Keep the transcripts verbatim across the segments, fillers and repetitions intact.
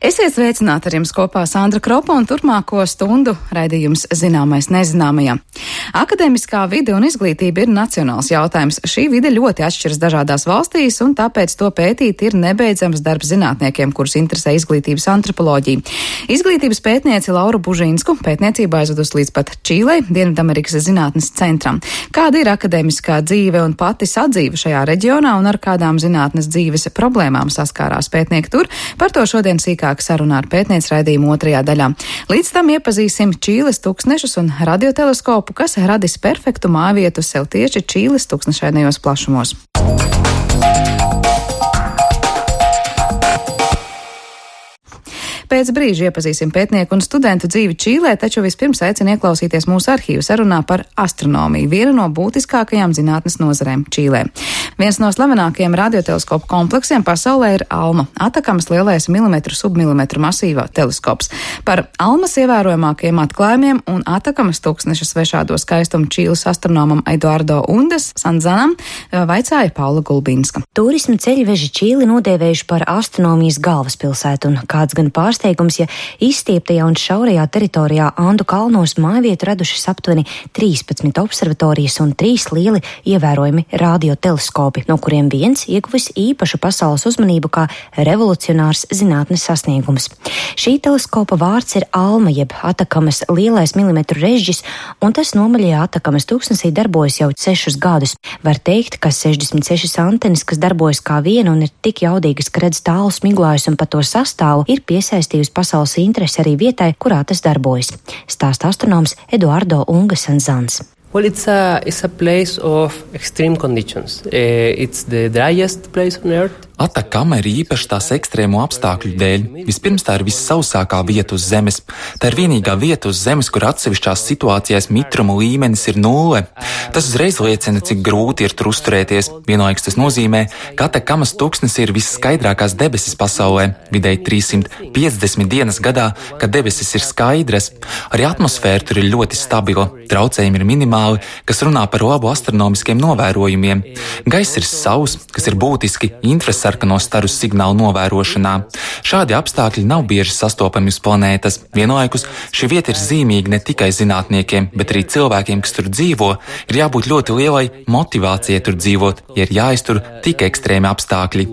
Esiet sveicināti, ar jums kopā Sandra Kropa un turpmāko stundu raidījums Zināmais nezināmajā. Akadēmiskā vide un izglītība ir nacionāls jautājums. Šī vide ļoti atšķiras dažādās valstīs, un tāpēc to pētīt ir nebeidzams darbs zinātniekiem, kurus interesē izglītības antropoloģija. Izglītības pētnieci Lauru Bužīnsku pētniecībā aizvedus līdz pat Čīlei, Dienvidamerikas zinātnes centram. Kāda ir akadēmiskā dzīve un pati sadzīve šajā reģionā un ar kādām zinātnes dzīves problēmām saskārās pētnieki tur? Par to šodien sīkāk sarunā ar pētniec raidījumu otrajā daļā. Līdz tam iepazīsim Čīles tuksnešus un radioteleskopu, kas radis perfektu mājvietu sev tieši Čīles tuksnešainajos plašumos. Pēc brīža iepazīsim pētnieku un studentu dzīvi Čīlē, taču vispirms aicinu ieklausīties mūsu arhīvu sarunā par astronomiju, vienu no būtiskākajām zinātnes nozarēm Čīlē. Viens no slavenākajiem radioteleskopu kompleksiem pasaulē ir ALMA, Atakamas lielais milimetru submilimetru masīva teleskops. Par ALMAS ievērojamākajiem atklājumiem un Atakamas tūkstneša svešādo skaistumu Čīles astronomam Eduardo Undes Sanzanam vaicāja Paula Gulbinska. Turisma ceļveži Čīli nodēvējuši par astronomijas galvaspilsētu, un kāds gan pārsteigums, ja izstieptajā un šaurajā teritorijā Andu kalnos mājvietu radušas aptuveni trīspadsmit observatorijas un trīs lieli ievērojami radioteleskopi, no kuriem viens ieguvis īpašu pasaules uzmanību kā revolucionārs zinātnes sasniegums. Šī teleskopa vārds ir ALMA, jeb Atakamas lielais milimetru režģis, un tas nomaļajā Atakamas tūkstnesī darbojas jau sešus gadus. Var teikt, ka sešdesmit sešas antenas, kas darbojas kā viena un ir tik jaudīgas, ka redz tālu smiglājus un pa to sastāvu, ir piesaistījusi pasaules interesi arī vietai, kurā tas darbojas. Stāsta astronoms Eduardo Unga Sanzans. Well, it's a, it's a place of extreme conditions. Uh, it's the driest place on Earth. Atakama ir īpaši tās ekstrēmo apstākļu dēļ. Vispirms tā ir vissausākā vieta uz Zemes. Tā ir vienīgā vieta uz Zemes, kur atsevišķās situācijās mitruma līmenis ir nulle. Tas uzreiz liecina, cik grūti ir tur uzturēties. Vienlaikus tas nozīmē, ka Atakamas tūkstnes ir visskaidrākās debesis pasaulē, vidēji trīssimt piecdesmit dienas gadā, kad debesis ir skaidras. Arī atmosfēra tur ir ļoti stabila, traucējumi ir minimāli, kas runā par labu astronomiskiem novērojumiem. Gaiss ir sauss, kas ir būtiski infrasarkano staru signālu novērošanā. Šādi apstākļi nav bieži sastopami uz planētas. Vienlaikus šī vieta ir zīmīga ne tikai zinātniekiem, bet arī cilvēkiem, kas tur dzīvo, ir jābūt ļoti lielai motivācijai tur dzīvot, ja ir jāiztur tik ekstrēmi apstākļi.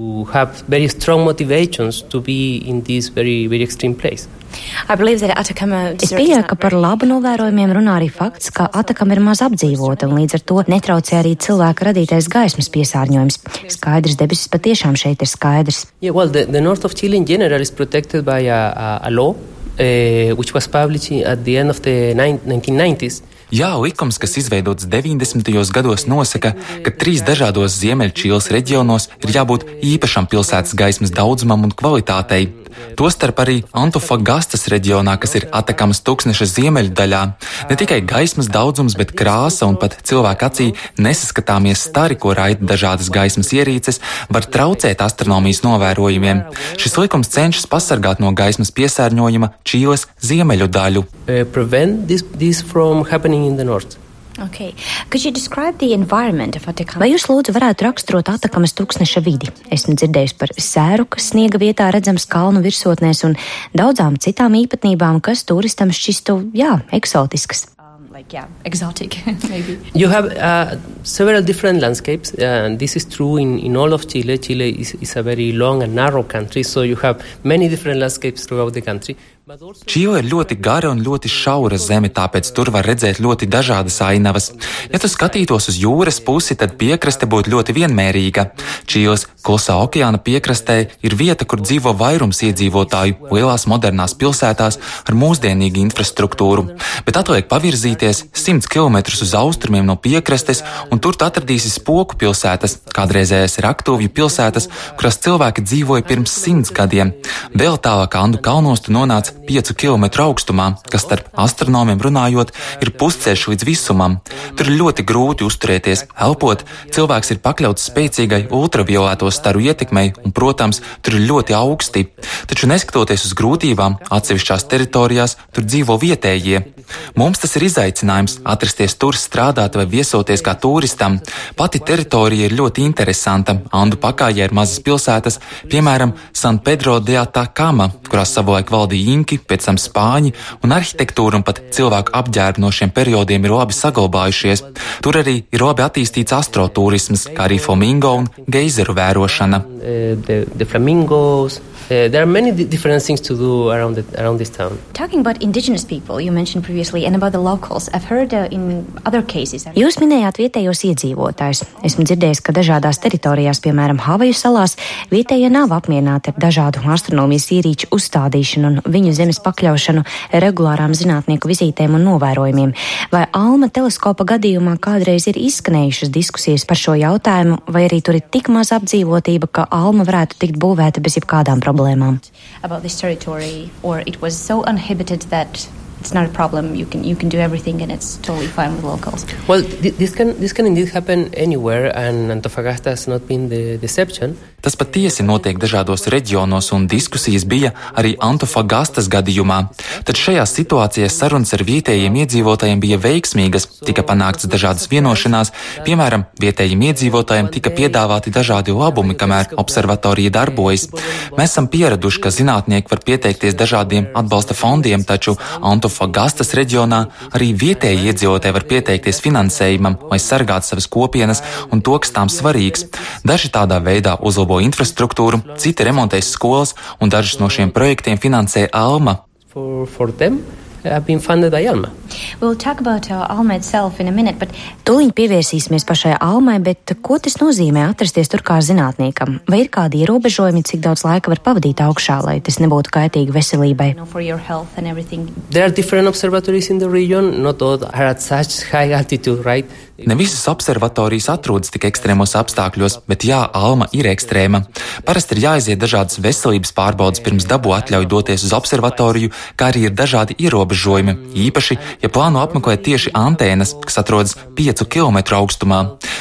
Es pieļauju, ka par labu novērojumiem runā arī fakts, ka Atakama ir maz apdzīvota un līdz ar to netraucē arī cilvēka radītais gaismas piesārņojums. Skaidrs debesis patiešām šeit ir skaidrs. Yeah, well, the, the north of Chile in general is protected by a, a, a law uh, which was published at the end of the nineteen nineties. Jā, likums, kas izveidots deviņdesmitajos gados, nosaka, ka trīs dažādos Ziemeļčīles reģionos ir jābūt īpašam pilsētas gaismas daudzumam un kvalitātei. Tostarp arī Antofagastas reģionā, kas ir Atakamas tūkstneša ziemeļu daļā. Ne tikai gaismas daudzums, bet krāsa un pat cilvēka acī nesaskatāmies stari, ko raida dažādas gaismas ierīces, var traucēt astronomijas novērojumiem. Šis likums cenšas pasargāt no gaismas piesārņojuma Čīles ziemeļu daļu. Uh, prevent this, this from happening in the north. Okay. Could you describe the environment of Atacama? Vai jūs lūdzu varētu raksturot Atakamas tūkstneša vidi? Esmu dzirdējusi par sēru, kas sniega vietā redzams kalnu virsotnēs un daudzām citām īpatnībām, kas turistam šķistu, jā, eksotiskas. Like, yeah, exotic, maybe. You have uh, several different landscapes, and this is true in, in all of Chile. Chile is, is a very long and narrow country, so you have many different landscapes throughout the country. Čīle ir ļoti gara un ļoti šaura zeme, tāpēc tur var redzēt ļoti dažādas ainavas. Ja tu skatītos uz jūras pusi, tad piekraste būtu ļoti vienmērīga. Čīles Klusā okeāna piekrastē ir vieta, kur dzīvo vairums iedzīvotāju lielās modernās pilsētās ar mūsdienīgu infrastruktūru. Bet atliek pavirzīties simts kilometrus uz austrumiem no piekrastes, un tur tu atradīsi Spoku pilsētas, kādreizējais Raktuvju pilsētas, kurās cilvēki dzīvoja pirms simts gadiem. Vēl tālāk Andu kalnos tu nonāc piecu kilometru augstumā, kas starp astronomiem runājot ir pusceļš līdz visumam. Tur ir ļoti grūti uzturēties, elpot, cilvēks ir pakļauts spēcīgai ultravioleto staru ietekmei un, protams, tur ir ļoti augsti. Taču neskatoties uz grūtībām, atsevišķās teritorijās tur dzīvo vietējie. Mums tas ir izaicinājums. izaicinājums atrasties tur, strādāt vai viesoties kā turistam. Pati teritorija ir ļoti interesanta. Andu pakājē ir mazas pilsētas, piemēram, San Pedro de Atacama, kurā savulaik valdīja inki, pēc tam spāņi, un arhitektūra un pat cilvēku apģērbi no šiem periodiem ir labi saglabājušies. Tur arī ir labi attīstīts astroturisms, kā arī flamingo un geizeru vērošana. Uh, the, the flamingos. Uh, there are many d- different things to do around the, around this town. Talking about indigenous people, you mentioned previously, and about the locals, I've heard uh, in other cases. Jūs minējāt vietējos iedzīvotājus. Esmu dzirdējis, ka dažādās teritorijās, piemēram, Havaju salās, vietējie nav apmierināti ar dažādu astronomijas ierīču uzstādīšanu un viņu zemes pakļaušanu regulārām zinātnieku vizītēm un novērojumiem. Vai Alma teleskopa gadījumā kādreiz ir izskanējušas diskusijas par šo jautājumu, vai arī tur ir tik maz apdzīvotība, ka Alma varētu tikt būvēta bez jebkādām problēmām? About this territory, or it was so uninhabited that it's not a problem. You can you can do everything, and it's totally fine with locals. Well, th- this can this can indeed happen anywhere, and Antofagasta has not been the exception. Tas patiesi notiek dažādos reģionos, un diskusijas bija arī Antofagastas gadījumā. Tad šajās situācijās sarunas ar vietējiem iedzīvotājiem bija veiksmīgas, tika panāktas dažādas vienošanās, piemēram, vietējiem iedzīvotājiem tika piedāvāti dažādi labumi, kamēr observatorija darbojas. Mēs esam pieraduši, ka zinātnieki var pieteikties dažādiem atbalsta fondiem, taču Antofagastas reģionā arī vietēji iedzīvotāji var pieteikties finansējumam, lai sargātu savas kopienas un to, kas tām svarīgs. Daži tādā veidā uzlabo infrastruktūru, citi remontēs skolas, un dažus no šiem projektiem finansē Alma. For, for them, have been funded by Alma. We'll talk about uh, Alma itself in a minute, but Tūliņ pievērsīsimies pašai Almai, bet ko tas nozīmē atrasties tur kā zinātniekam? Vai ir kādi ierobežojumi, cik daudz laika var pavadīt augšā, lai tas nebūtu kaitīgi veselībai? you know, for your health and everything. There are different observatories in the region, not all are at such high altitude, right? Ne visas observatorijas atrodas tik ekstrēmos apstākļos, bet jā, Alma ir ekstrēma. Parasti ir jāiziet dažādas veselības pārbaudas pirms dabū atļauj doties uz observatoriju, kā arī ir dažādi ierobežojumi, īpaši, ja plāno apmeklēt tieši antēnas, kas atrodas piecu kilometru augstumā.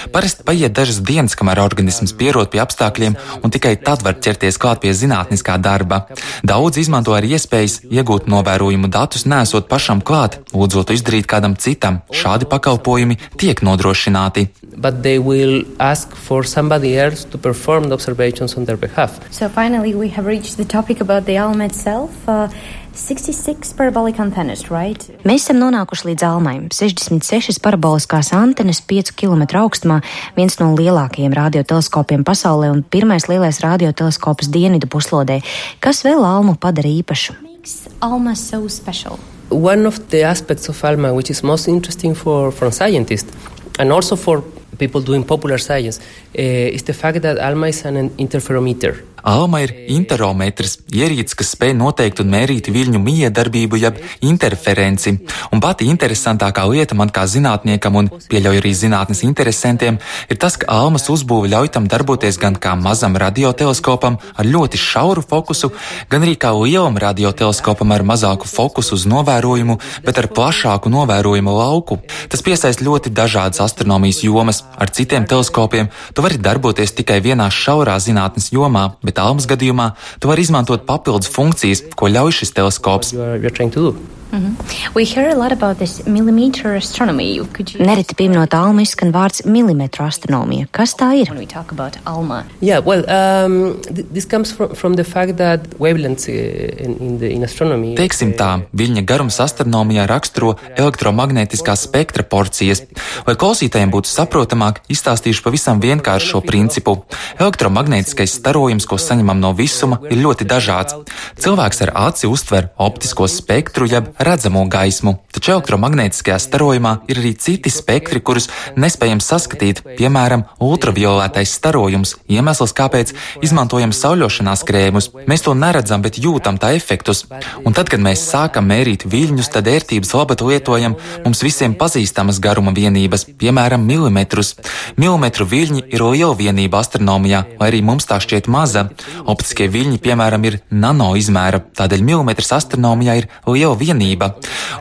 Parasti paiet dažas dienas, kamēr organisms pierod pie apstākļiem, un tikai tad var ķerties klāt pie zinātniskā darba. Daudz izmanto arī iespējas iegūt novērojumu datus, nesot pašam klāt, lūdzot izdarīt kādam citam. Šādi pakalpojumi tiek nodrošināti. But they will ask for somebody else to perform the observations on their behalf. So finally, we have reached the topic about the Alma itself. Uh, sixty-six parabolic antennas, right? Mēs esam nonākuši līdz Almai. sešdesmit sešas paraboliskās antenas piecu kilometru augstumā, viens no lielākajiem radioteleskopiem pasaulē un pirmais lielais radioteleskops dienvidu puslodē. Kas vēl Almu padara īpašu? Makes Alma so special. One of the aspects of Alma which is most interesting for, for scientists and also for people doing popular science uh, is the fact that Alma is an interferometer. Alma ir interometrs, ierīce, kas spēj noteikt un mērīt viļņu miedarbību, jeb interferenci. Un pati interesantākā lieta man kā zinātniekam un pieļauj arī zinātnes interesantiem ir tas, ka Almas uzbūve ļauj tam darboties gan kā mazam radioteleskopam ar ļoti šauru fokusu, gan arī kā lielam radioteleskopam ar mazāku fokusu uz novērojumu, bet ar plašāku novērojumu lauku. Tas piesaist ļoti dažādas astronomijas jomas. Ar citiem teleskopiem tu vari darboties tikai vienā šaurā zinātnes jomā, bet Almas gadījumā tu vari izmantot papildus funkcijas, ko ļauj šis teleskops. You are, you are trying to do. Mm-hmm. We hear a lot about this millimeter astronomy. Could you Nereti pieminot Almu izskan vārds milimetru astronomija. Kas tā ir? when we talk about Alma? Yeah, well, um, th- this comes from, from the fact that wavelengths uh, in, in, the, in astronomy... Teiksim tā, viļņa garums astronomijā raksturo elektromagnētiskās spektra porcijas. Lai klausītājiem būtu saprotamāk, izstāstīšu pavisam vienkārši šo principu. Elektromagnētiskais starojums, ko saņemam no visuma, ir ļoti dažāds. Cilvēks ar aci uztver optisko spektru, jeb redzamo gaismu, taču elektromagnētiskajā starojumā ir arī citi spektri, kurus nespējam saskatīt, piemēram, ultravioletais starojums, iemesls, kāpēc izmantojam sauļošanās krēmus. Mēs to neredzam, bet jūtam tā efektus. Un tad, kad mēs sākam mērīt viļņus, tad ērtības labad lietojam mums visiem pazīstamas garuma vienības, piemēram, milimetrus. Milimetru viļņi ir liela vienība astronomijā, lai arī mums tā šķiet maza. Optiskie viļņi, piemēram, ir nano izmēra, tādēļ milimetrs astronomijā ir liela vienība.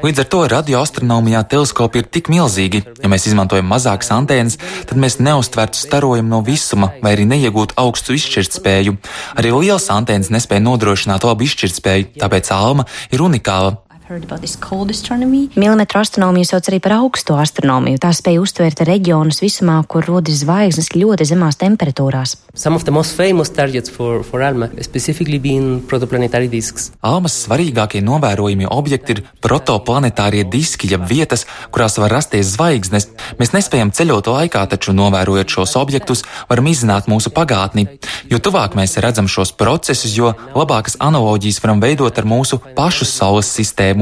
Līdz ar to radioastronomijā teleskopi ir tik milzīgi. Ja mēs izmantojam mazākas antēnas, tad mēs neuztvertu starojumu no visuma vai arī neiegūtu augstu izšķirtspēju. Arī lielas antēnas nespēja nodrošināt labu izšķirtspēju, tāpēc Alma ir unikāla. Milimetru astronomiju sauc arī par augsto astronomiju. Tā spēja uztvert reģionus visumā, kur rodas zvaigznes ļoti zemās temperatūrās. Some of the most famous targets for, for ALMA, specifically being protoplanetary disks. Almas svarīgākie novērojamie objekti ir protoplanetārie diski, jeb vietas, kurās var rasties zvaigznes. Mēs nespējam ceļot laikā, taču novērojot šos objektus, varam izzināt mūsu pagātni. Jo tuvāk mēs redzam šos procesus, jo labākas analoģijas varam veidot ar mūsu pašu Saules sistēmu.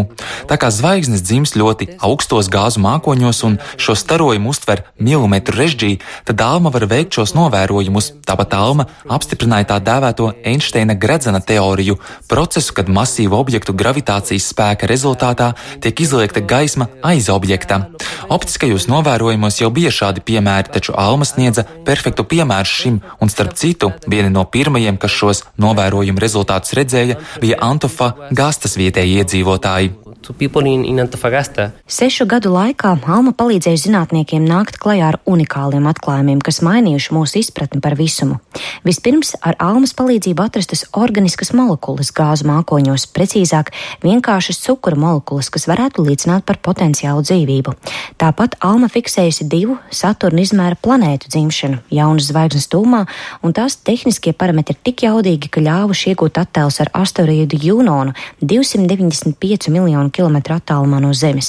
Tā kā zvaigznes dzimst ļoti augstos gāzu mākoņos un šo starojumu uztver milimetru režģī, tad Alma var veikt šos novērojumus. Tāpat Alma apstiprināja tā dēvēto Einsteina gredzena teoriju, procesu, kad masīvu objektu gravitācijas spēka rezultātā tiek izliekta gaisma aiz objekta. Optiskajos novērojumos jau bija šādi piemēri, taču Alma sniedza perfektu piemēru šim, un starp citu, vieni no pirmajiem, kas šos novērojumu rezultātus redzēja, bija Antofagasta vietēji iedzīvotāji. In, in Sešu gadu laikā Alma palīdzēja zinātniekiem nākt klajā ar unikāliem atklājumiem, kas mainījuši mūsu izpratni par visumu. Vispirms ar Almas palīdzību atrastas organiskas molekulas gāzu mākoņos, precīzāk vienkāršas cukura molekulas, kas varētu liecināt par potenciālu dzīvību. Tāpat Alma fiksējusi divu Saturna izmēra planētu dzimšanu, jaunas zvaigznes tūmā, un tās tehniskie parametri ir tik jaudīgi, ka ļāvuši iegūt attēlus ar asteroīdu Junonu divsimt deviņdesmit pieci miljonu kilometru attālumā no Zemes.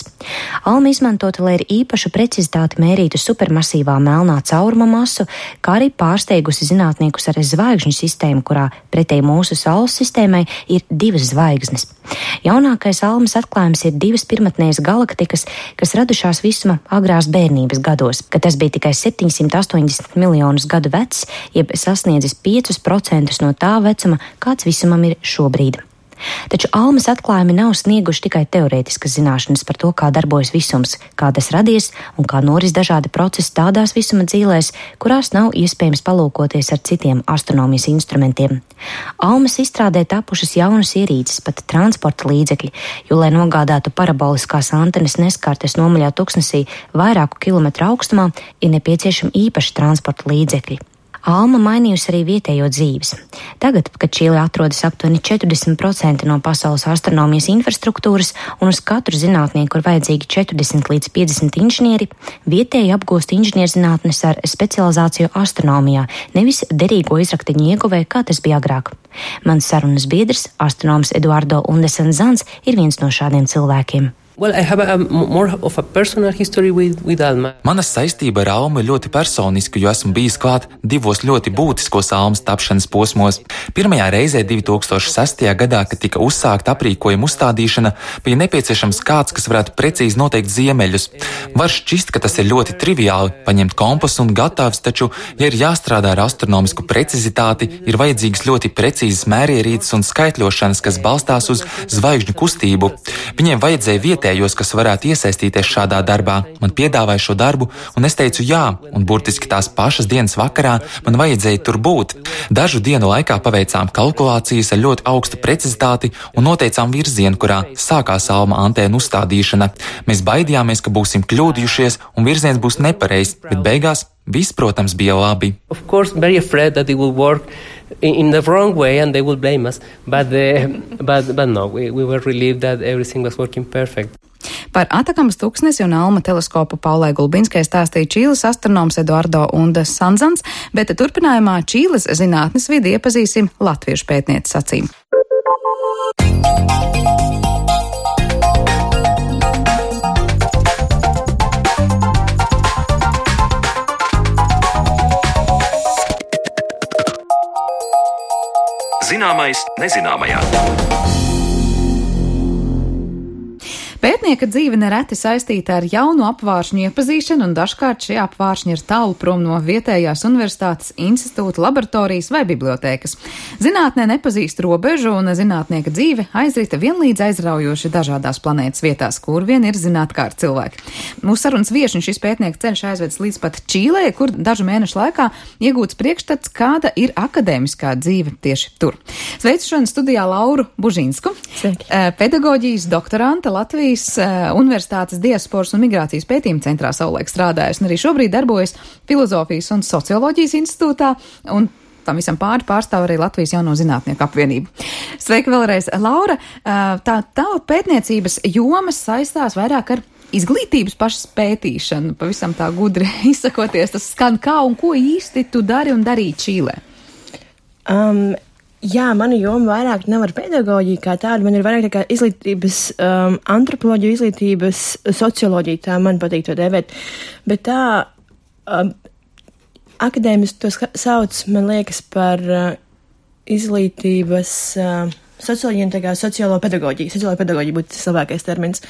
Alma izmantota, lai ar īpašu precizitāti mērītu supermasīvā melnā cauruma masu, kā arī pārsteigusi zinātniekus ar zvaigžņu sistēmu, kurā pretēji mūsu Saules sistēmai ir divas zvaigznes. Jaunākais Almas atklājums ir divas pirmatnējas galaktikas, kas radušās visuma agrās bērnības gados, kad tas bija tikai septiņsimt astoņdesmit miljonus gadu vecs, jeb sasniedzis piecus procentus no tā vecuma, kāds visumam ir šobrīd. Taču Almas atklājumi nav snieguši tikai teorētiskas zināšanas par to, kā darbojas visums, kā tas radies un kā noris dažādi procesi tādās visuma dzīlēs, kurās nav iespējams palūkoties ar citiem astronomijas instrumentiem. Almas izstrādē tapušas jaunas ierīces, pat transporta līdzekļi, jo, lai nogādātu paraboliskās antenas neskartes nomaļā tuksnesī vairāku kilometru augstumā, ir nepieciešami īpaši transporta līdzekļi. Alma mainījusi arī vietējo dzīves. Tagad, kad Čīle atrodas aptuveni četrdesmit procenti no pasaules astronomijas infrastruktūras un uz katru zinātnieku ir vajadzīgi četrdesmit līdz piecdesmit inženieri, vietēji apgūst inženierzinātnes ar specializāciju astronomijā, nevis derīgo izrakteņu ieguvē, kā tas bija agrāk. Mans sarunas biedrs, astronoms Eduardo Undesen-Zans, ir viens no šādiem cilvēkiem. Well, I have a, a more of a personal history with, with Alma. Mana saistība ar Almu ir ļoti personiska, jo esmu bijis klāt divos ļoti būtiskos Almas tapšanas posmos. Pirmajā reizē divi tūkstoši sestajā gadā, kad tika uzsākta aprīkojuma uzstādīšana, bija nepieciešams kāds, kas varētu precīzi noteikt ziemeļus. Var šķist, ka tas ir ļoti triviāli, paņemt kompasu un gatavs, taču, ja ir jāstrādā ar astronomisku precizitāti, ir vajadzīgas ļoti precīzas mērierīces un skaitļošanas, kas balstās uz zvaigžņu kustību. Viņiem vajadzēja vietējos, kas varētu iesaistīties šādā darbā. Man piedāvāja šo darbu, un es teicu jā, un burtiski tās pašas dienas vakarā man vajadzēja tur būt. Dažu dienu laikā paveicām kalkulācijas ar ļoti augstu precizitāti un noteicām virzienu, kurā sākās Alma antēnu uzstādīšana. Mēs baidījāmies, ka būsim kļūdījušies un virziens būs nepareizs, bet beigās viss, protams, bija labi. Of course, very afraid that it will work in the wrong way and they will blame us, but, uh, but, but no, we, we were relieved that everything was working perfect. Par Atakamas tuksnesi un Alma teleskopu Paulai Gulbinskai stāstīja Čīles astronoms Eduardo Undesen-Zans, bet turpinājumā Čīles zinātnes vidi iepazīsim latviešu pētnieces acīm. Zināmais nezināmajā. Pētnieka dzīve nereti saistīta ar jaunu apvāršņu iepazīšanu, un dažkārt šie apvāršņi ir tālu prom no vietējās universitātes, institūta, laboratorijas vai bibliotēkas. Zinātnē nepazīst robežu, un zinātnieka dzīve aizrita vienlīdz aizraujoši dažādās planētas vietās, kur vien ir zinātkārt cilvēki. Mūsu sarunas viešņi šis pētnieka ceļš aizvedis līdz pat Čīlē, kur dažu mēnešu laikā iegūts priekšstats, kāda ir akadēmiskā dzīve tieši tur. Sveicu šodien studijā Lauru Bužinsku, pedagoģijas doktorante Latvijas Universitātes diasporas un migrācijas pētījuma centrā savulaik strādājusi, un arī šobrīd darbojas Filozofijas un socioloģijas institūtā, un tam visam pāri pārstāv arī Latvijas Jauno zinātnieku apvienību. Sveika vēlreiz, Laura. Tā, tā pētniecības jomas saistās vairāk ar izglītības pašas pētīšanu, pavisam tā gudri izsakoties, tas skan kā un ko īsti tu dari un darīji Čīlē? Um, jā, mana joma vairāk nav ar pedagoģiju kā tādu, man ir vairāk tā kā izglītības, um, antropoloģija, izglītības, socioloģija, tā man patīk to dēvēt, bet tā um, akadēmiski to sauc, man liekas, par uh, izglītības uh, socioloģija un tā kā sociālo pedagoģija. Sociālo pedagoģija būtu tas labākais termins.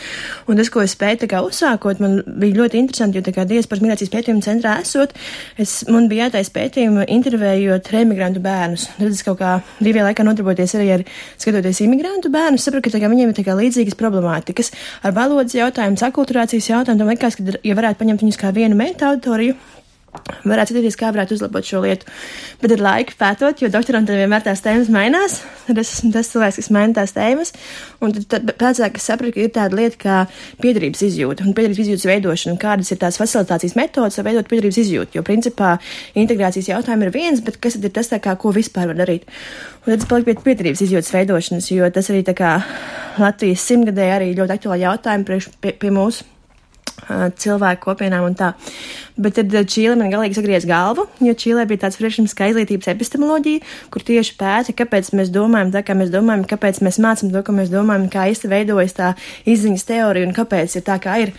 Un tas, ko es spēju tā kā uzsākot, man bija ļoti interesanti, jo tā kā diasporas migrācijas pētījuma centrā esot, es, man bija jātais pētījuma intervējot reimigrantu bērnus. Tad es kaut kā brīvajā laikā nodarboties arī ar skatoties imigrantu bērnus, sapratu, ka tā kā viņiem ir tā kā līdzīgas problemātikas ar valodas jautājumu, akulturācijas jautājumu, tam likās, ka ja varētu paņemt viņus kā vienu meitu auditoriju, varētu skatīties, kā varētu uzlabot šo lietu. Bet ar laiku pētot, jo doktorantiem vienmēr tās tēmas mainās, tad es esmu tas cilvēks, kas maina tās tēmas, un tad, tad pēcāk es sapratu, ka ir tāda lieta kā piederības izjūta un piederības izjūtas veidošana, un kādas ir tās facilitācijas metodas, lai veidot piederības izjūtu, jo principā integrācijas jautājumi ir viens, bet kas tad ir tas tā kā, ko vispār var darīt? Un tad es paliku pie piederības izjūtas veidošanas, jo tas arī tā kā Latvijas simtgadē arī ļoti aktuāli jautājumi priekš pie, pie mūsu cilvēku kopienām un tā. Bet tad Čīle man galīgi sagriez galvu, jo Čīlē bija tāds priekšlikums kā izglītības epistemoloģija, kur tieši pēta, kāpēc mēs domājam tā, kā mēs domājam, kāpēc mēs mācam to, ko mēs domājam, kā īsti veidojas tā izziņas teorija un kāpēc ir tā, kā ir.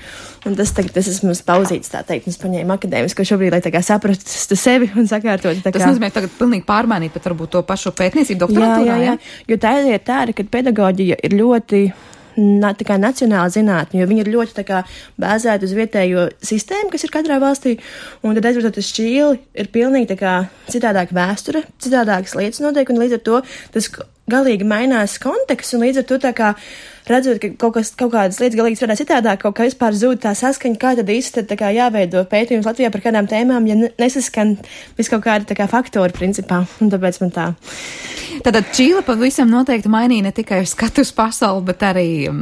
Un tas tagad, tas esmu pauzīts, tā teikt, un es paņēmu akadēmisko šobrīd, lai tā kā saprastu sevi un sakārtot. Tā kā... Tas nozīmē tagad pilnīgi pārmainīt pat varbūt to pašu pētniecību doktorantūrā, jā? Jā, jā, jo tā ir tāda, ka pedagoģija ir ļoti Na, tā kā nacionāla zinātne, jo viņi ir ļoti tā kā bāzēti uz vietējo sistēmu, kas ir katrā valstī, un tad aizvērtot uz Čīli ir pilnīgi tā kā citādāk vēsture, citādākas lietas notiek, un līdz ar to tas galīgi mainās konteksts, un līdz ar to tā kā redzot, ka kaut, kas, kaut kādas lietas galīgi strādā citādāk, kaut kā vispār zūd tā saskaņa, kā tad īsti tad tā kā jāveido pētījums Latvijā par kādām tēmām, ja nesaskan vis kaut kādi tā kā faktori principā, un tāpēc man tā. Tātad Čīle pavisam noteikti mainīja ne tikai skatu uz pasauli, bet arī um,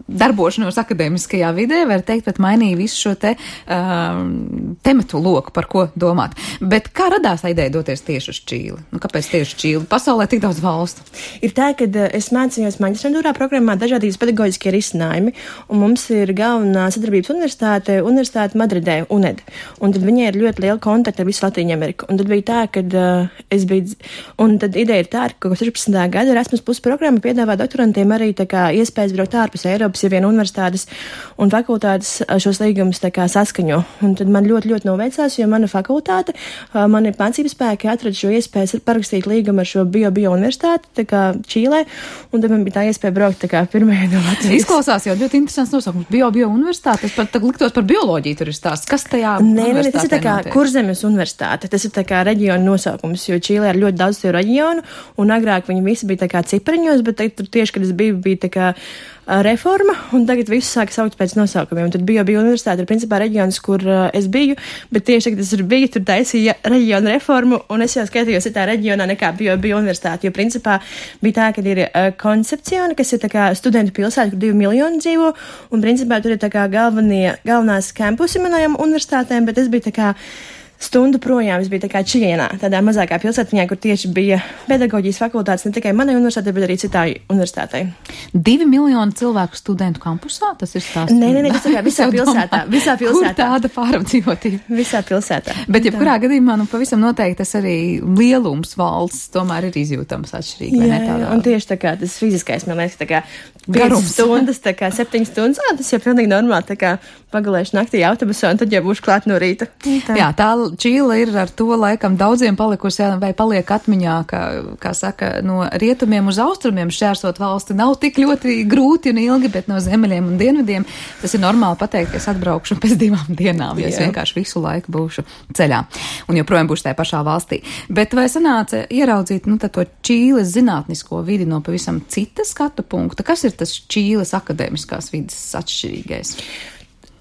darbošanos akadēmiskajā vidē, var teikt, bet mainīja visu šo te um, tematu loku, par ko domāt. Bet kā radās tā ideja doties tieši uz Čīli? Nu, kāpēc tieši Čīli? Pasaulē tik daudz valstu. Ir tā, ka es mācījos maģistrantūrā programmā dažādības pedagoģiskie risinājumi, un mums ir galvenā sadarbības universitāte, universitāte Madridē, U N E D. Un tad viņai ir ļoti liela kontakta ar visu Latīņu Ameriku. Un tad bija tā, ka uh, es biju, un tad ideja ir tā, ka sešpadsmitā gada Erasmus Plus programma piedāvā doktorantiem arī tā kā iespējas braukt ārpus Eiropas, ja vien universitātes un fakultātes šos līgumus tā kā saskaņo. Un tad man ļoti, ļoti noveicās, jo mana fakultāte, uh, mani mācības spēki atrada šo iespēju parakstīt līgumu ar šo bio-bio universitāti, tā kā Čīlē, un tad man bija tā iespēja braukt tā kā pirmajā no Latvijas. Izklausās jau ļoti interesants nosaukums. Bio-bio universitāte, tas pat liktos par bioloģiju tur ir stāsts. Kas tajā Nē, nē, tas ir tā kā Kurzemes universitāte, tas ir tā kā reģiona nosaukums, jo Čīlē ir ļoti daudz tie reģionu, un agrāk viņi visi bija tā kā cipriņos, bet tur tieši, kad es biju, bija tā kā reforma, un tagad visu sāka saukt pēc nosaukumiem. Un tad bija bija universitāte, ir principā reģions, kur uh, es biju, bet tieši, kad es tur biju, tur taisīja reģionu reformu, un es jau skatījos citā reģionā nekā bija bija universitāte, jo principā bija tā, ka ir uh, Koncepciona, kas ir tā kā studentu pilsēta, kur divi miljoni dzīvo, un principā tur ir tā kā galvenie, galvenās kampusi manajām universitātēm, bet es biju tā kā stundu projām, es biju tā kā Čienā, tādā mazākā pilsētiņā, kur tieši bija pedagoģijas fakultātes ne tikai manai universitātei, bet arī citai universitātei. Divi miljoni cilvēku studentu kampusā, tas ir stāsts? Nē, nē, nē, tas ir visā pilsētā, visā pilsētā. Kur tāda pārapdzīvotība? Visā pilsētā. Bet jebkurā gadījumā, nu, pavisam noteikti tas arī lielums valsts tomēr ir izjūtams atšķirīgi, vai ne tādā? Jā, un tieši tā kā tas fiziskais, man liekas, tā kā garums stundas, tā kā septiņas stundas, ā, tas jau pilnīgi normāli, tā kā pagulēšu naktī autobusā, un tad jau būšu klāt no rīta. Tā. Jā, tā Čīle ir ar to laikam daudziem palikusi, vai paliek atmiņā, kā, kā saka, no rietumiem uz austrumiem šķērsot valsti nav tik ļoti grūti un ilgi, bet no ziemeļiem un dienvidiem tas ir normāli pateikt, ka es atbraukšu pēc divām dienām, jo es vienkārši visu laiku būšu ceļā un joprojām būšu tajā pašā valstī. Bet vai sanāca ieraudzīt, nu, to Čīles zinātnisko vidi no pavisam cita skatu punkta? Kas ir tas Čīles akadēmiskās vidas atšķirīgais?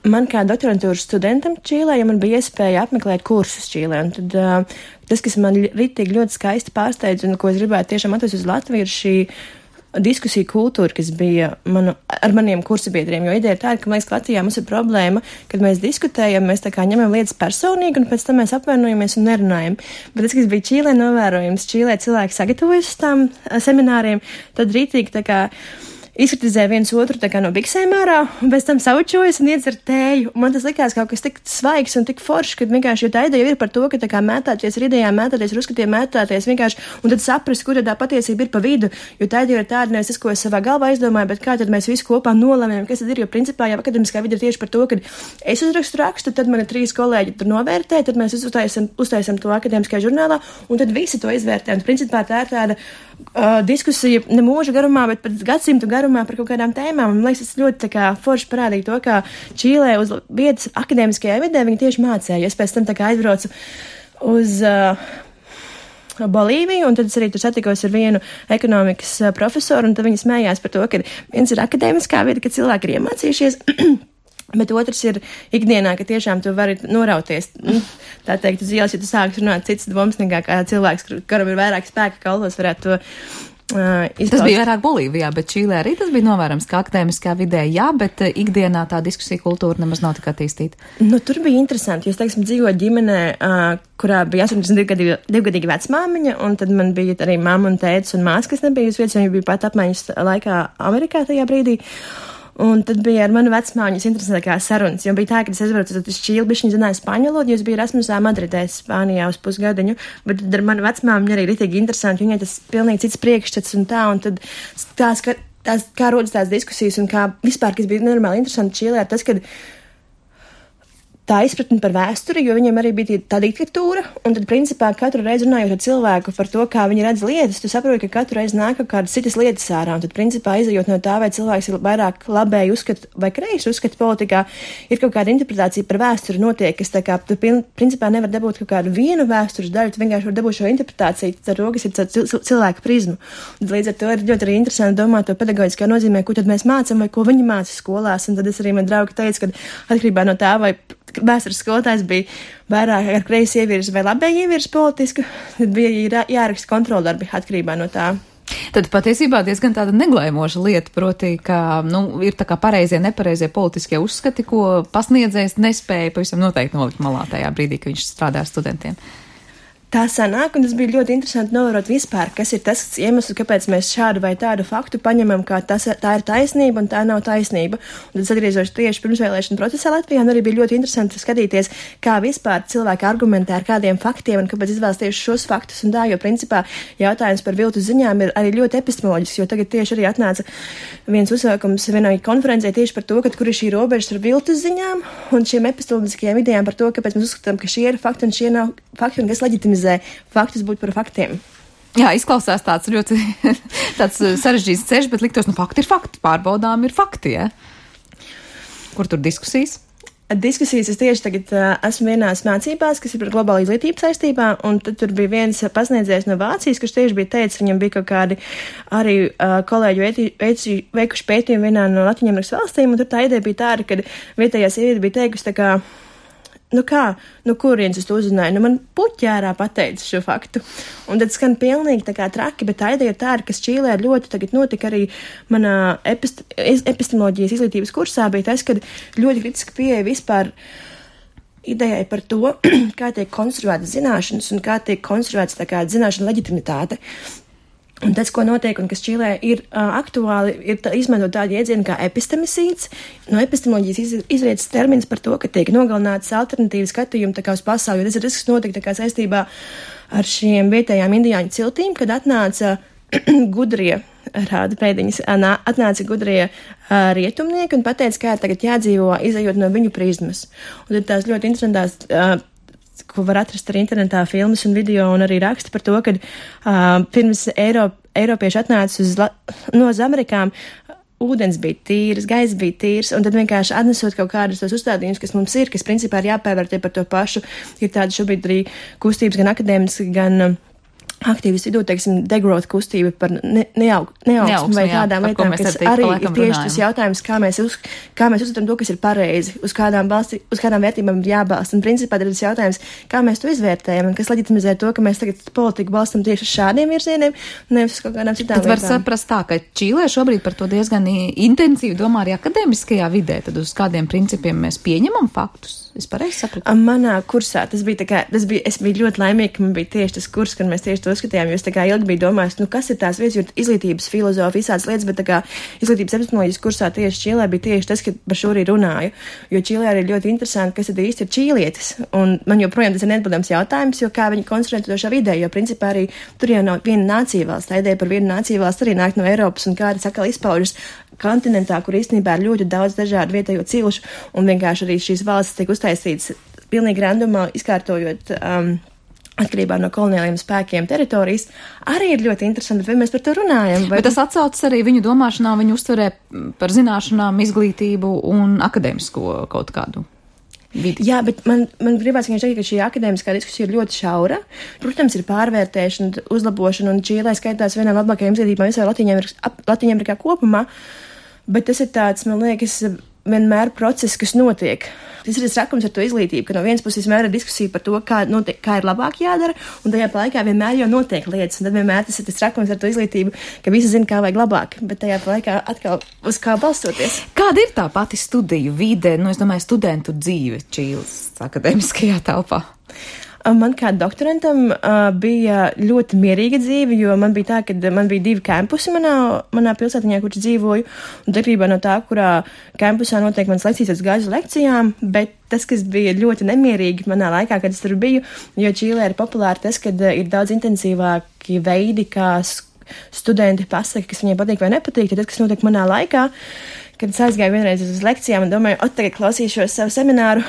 Man kā doktorantūras studentam Čīlē, ja man bija iespēja apmeklēt kursus Čīlē, un tad uh, tas, kas man ritīgi ļoti skaisti pārsteidz un ko es gribētu tiešām atvest uz Latviju, ir šī diskusiju kultūru, kas bija manu, ar maniem kursabiedriem, jo ideja ir tāda, ka, man liekas, Latvijā mums ir problēma, kad mēs diskutējam, mēs tā kā ņemam lietas personīgi, un pēc tam mēs apvainojamies un nerunājam. Bet tas, kas bija Čīlē novērojums, Čīlē cilvēki sagatavojas uz tām semināriem, tad rītīgi tā kā izkritizē viens otru tā kā no biksēm ārā, un pēc tam saučojas un iedzer tēju. Man tas likās kaut kas tik svaigs un tik foršs, kad vienkārši, jo tā ideja ir par to, ka tā kā mētāties ar idejām, mētāties ar uzskatiem, mētāties vienkārši, un tad saprast, kur tā patiesība ir pa vidu, jo tā ideja ir tāda, nevis tas, ko es savā galvā izdomāju, bet kā tad mēs visi kopā nolemjam, kas tad ir, jo principā jau akademiskā vide ir tieši par to, ka es uzrakstu rakstu, tad mani trīs kolēģi tur novērtē, tad mēs uztaisam, uztaisam to akademiskajā žurnālā, un tad visi to izvērtē. Un principā tā ir tāda uh, diskusija ne mūža garumā, bet pat gadsimtu garumā par kaut kādām tēmām. Man liekas, tas ļoti tā kā forši parādīja to, kā Čīlē uz vietas akadēmiskajā vidē viņi tieši mācēja. Es pēc tam tā kā aizbraucu uz uh, Bolīviju, un tad es arī tur satikos ar vienu ekonomikas uh, profesoru, un tad viņi smējās par to, ka viens ir akadēmiskā vide, ka cilvēki ir iemācījušies, bet otrs ir ikdienā, ka tiešām tu vari norauties. Tā teikt, uz ielas, ja tu sāks runāt cits domas nekā kā cilvēks, kuram ir vairāk spēka kalvos, varētu to Uh, tas bija vairāk Bolīvijā, bet Čīlē arī tas bija novērams, ka akadēmiskā vidē jā, bet uh, ikdienā tā diskusija kultūra nemaz nav tik attīstīta. Nu, tur bija interesanti, jo, es teiksim, dzīvoju ģimenē, uh, kurā bija astoņdesmit divgadīga vecmāmiņa, un tad man bija arī mamma un tētis un māsa, kas nebija uz vietas, jo viņi bija pat apmaiņas laikā Amerikā tajā brīdī. Un tad bija ar manu vecmāmiņas interesantākās sarunas, jo bija tā, ka es aizbraucu uz Čīli, bišķiņ zināju spāņu valodu, jo es biju Erasmusā Madridē, Spānijā uz pusgadiņu, bet tad ar manu vecmāmiņu arī ritīgi interesanti, viņai tas pilnīgi cits priekšstats un tā, un tad tās, ka, tās, kā rodas tās diskusijas un kā vispār, kas bija normāli interesanti Čīlē, ir tas, kad tā izpratne par vēsturi, jo viņiem arī bija tā diktatūra, un tad, principā, katru reizi runājot ar cilvēku par to, kā viņi redz lietas, tu saproti, ka katru reizi nāk kaut kādas citas lietas ārā, un tad, principā, izejot no tā, vai cilvēks ir vairāk labēji uzskata vai kreisi uzskata politikā, ir kaut kāda interpretācija par vēsturi notiek, kas tā kā, tu, principā, nevar dabūt kaut kādu vienu vēstures daļu, tu vienkārši var dabūt šo interpretāciju, ar to, kas ir cilvēka prizmu. Un līdz ar to ir ļoti arī interesanti domāt to pedagoģiskā nozīmē, ko tad mēs mācam vai ko viņi māca skolās, un tad es arī man draugi teicu, ka atkarībā no tā, vai vēstures skolotājs bija vairāk ar kreisi ievirs vai labēji ievirs politisku, tad bija jāraksta kontroldarbi atkarībā no tā. Tad patiesībā diezgan tāda neglēmoša lieta, proti, ka, nu, ir tā kā pareizie, nepareizie politiskie uzskati, ko pasniedzējs nespēja pavisam noteikti nolikt malā tajā brīdī, kad viņš strādā ar studentiem. Tā sanāk, un tas bija ļoti interesanti novērot vispār, kas ir tas iemesls, kāpēc mēs šādu vai tādu faktu paņemam, kā tas, tā ir taisnība un tā nav taisnība. Un tad atgriežos tieši pirmsvēlēšana procesā Latvijā, un arī bija ļoti interesanti skatīties, kā vispār cilvēki argumentē ar kādiem faktiem un kāpēc izvēlas tieši šos faktus un tā, jo principā jautājums par viltus ziņām ir arī ļoti epistemoloģisks, jo tagad tieši arī atnāca viens uzsaukums vienai konferencē tieši par to, ka kur ir šī robeža ar viltus ziņām un šiem epistemoloģiskajām idejām par to, kāpēc mēs uzskatām, ka šie ir fakti un šie nav fakti un kas leģitimizē faktus būt par faktiem. Jā, izklausās tāds ļoti tāds sarežģīts ceļš, bet liktos, nu fakti ir fakti, pārbaudām ir fakti, ja? Kur tur diskusijas? Diskusijas es tieši tagad uh, esmu vienās mācībās, kas ir par globālu izglītību saistībā, un tad tur bija viens pasniedzējs no Vācijas, kurš tieši bija teicis, viņam bija kaut kādi arī uh, kolēģi veiti, veiti, veikuši pētījumi vienā no Latviņamerikas valstīm, un tur tā ideja bija tāda, ka vietējā sieviete bija teikusi tā kā, nu kā, nu kurienes es to uzzināju, nu man puķērā pateica šo faktu. Un tad skan pilnīgi tā kā traki, bet tā ideja ir tāda, kas Čīlē ļoti tagad notika arī manā epist- epistemoloģijas izglītības kursā, bija tas, kad ļoti kritiski pieeja vispār idejai par to, kā tiek konstruētas zināšanas un kā tiek konstruētas tā kā zināšana leģitimitāte. Un tas, ko notiek un kas Čīlē ir uh, aktuāli, ir tā, izmantot tādu jēdzienu kā epistemicīds. No epistemoloģijas iz, izrietas termins par to, ka tiek nogalinātas alternatīvas skatījumi tā kā uz pasauli, jo tas ir tas, kas notika tā kā saistībā ar šiem vietējām indiāņu ciltīm, kad atnāca gudrie, rāda pēdiņas, atnāca gudrie uh, rietumnieki un pateica, kā tagad jādzīvo, izējot no viņu prizmas. Un tad tās ļoti interesantās uh, ko var atrast arī internetā filmas un video un arī raksta par to, ka uh, pirms Eiro, Eiropieši atnāca uz, no uz Amerikām, ūdens bija tīrs, gaiss bija tīrs, un tad vienkārši atnesot kaut kādus tos uzstādījumus, kas mums ir, kas principā ir jāpērvērtē par to pašu, ir tāda šobrīd arī kustības gan akadēmiski, gan aktīvistu vidū, teiksim, degrowth kustība par ne, neaug, neaugsmu vai tādām jā, lietām, kas arī ir tieši runājam. Tas jautājums, kā mēs, uz, kā mēs uzskatām to, kas ir pareizi, uz kādām, balsti, uz kādām vērtībām ir jābalsta. Un principā ir tas jautājums, kā mēs to izvērtējam un kas leģitimizē to, ka mēs tagad politiku balstam tieši uz šādiem virzieniem, nevis uz kaut kādām citām lietām. Tad var lietām. saprast tā, ka Čīlē šobrīd par to diezgan intensīvi domā arī akadēmiskajā vidē, tad uz kādiem principiem mēs pieņemam faktus. Es pareizi sapratu. Manā kursā tas bija tā kā, tas bija, es biju ļoti laimīga, ka man bija tieši tas kurs, kad mēs tieši to skatījām, jo es tā kā ilgi biju domājis, nu kas ir tās vietas, jo izglītības filozofija, visādas lietas, bet tā kā izglītības epistemoloģijas kursā tieši Čīlē bija tieši tas, ka par šo arī runāju, jo Čīlē arī ļoti interesanti, kas tad īsti ir čīlietis, un man joprojām tas ir neatbildams jautājums, jo kā viņi konstruē to šo vidē, jo principā arī tur jau nav viena nācija valsts, tā ideja par vienu nāciju valsts arī nāk no Eiropas un kā tas atkal izpaužas kontinentā, kur īstenībā ir ļoti daudz dažādu vietējo cilšu, un vienkārši arī šīs valstis tiek uztaisītas pilnīgi randumā, izkārtojot um, atkarībā no koloniāliem spēkiem teritorijas, arī ir ļoti interesanti, vai mēs par to runājam. Vai... Bet tas atsaucas arī viņu domāšanā, viņu uztverē par zināšanām, izglītību un akadēmisko kaut kādu vidi. Jā, bet man, man gribās vienkārši teikt, ka šī akadēmiskā diskusija ir ļoti šaura. Protams, ir pārvērtēšana, uzlabošana, un Čīlē skaitās vienā no labākajām izglītībām visā Latvijā kopumā. Bet tas ir tāds, man liekas, vienmēr process, kas notiek. Tas ir tas rakums ar to izglītību, ka no vienas puses vienmēr ir diskusija par to, kā, notiek, kā ir labāk jādara, un tajā laikā vienmēr jau notiek lietas, un tad vienmēr tas ir tas rakums ar to izglītību, ka visi zina, kā vajag labāk, bet tajā laikā atkal uz kā balstoties. Kāda ir tā pati studiju vide, nu es domāju, studentu dzīve Čīles akadēmiskajā telpā? Man kā doktorantam uh, bija ļoti mierīga dzīve, jo man bija tā, ka man bija divi kampusi manā, manā pilsētiņā, kur es dzīvoju, un darbībā no tā, kurā kampusā notiek manas lekcijas, es gāju uz lekcijām, bet tas, kas bija ļoti nemierīgi manā laikā, kad es tur biju, jo Čīlē ir populāri tas, kad uh, ir daudz intensīvāki veidi, kā studenti pasaka, kas viņiem patīk vai nepatīk, tad tas, kas notiek manā laikā, kad es aizgāju vienreiz uz lekcijām un domāju, ot, tagad klausīšos savu semināru,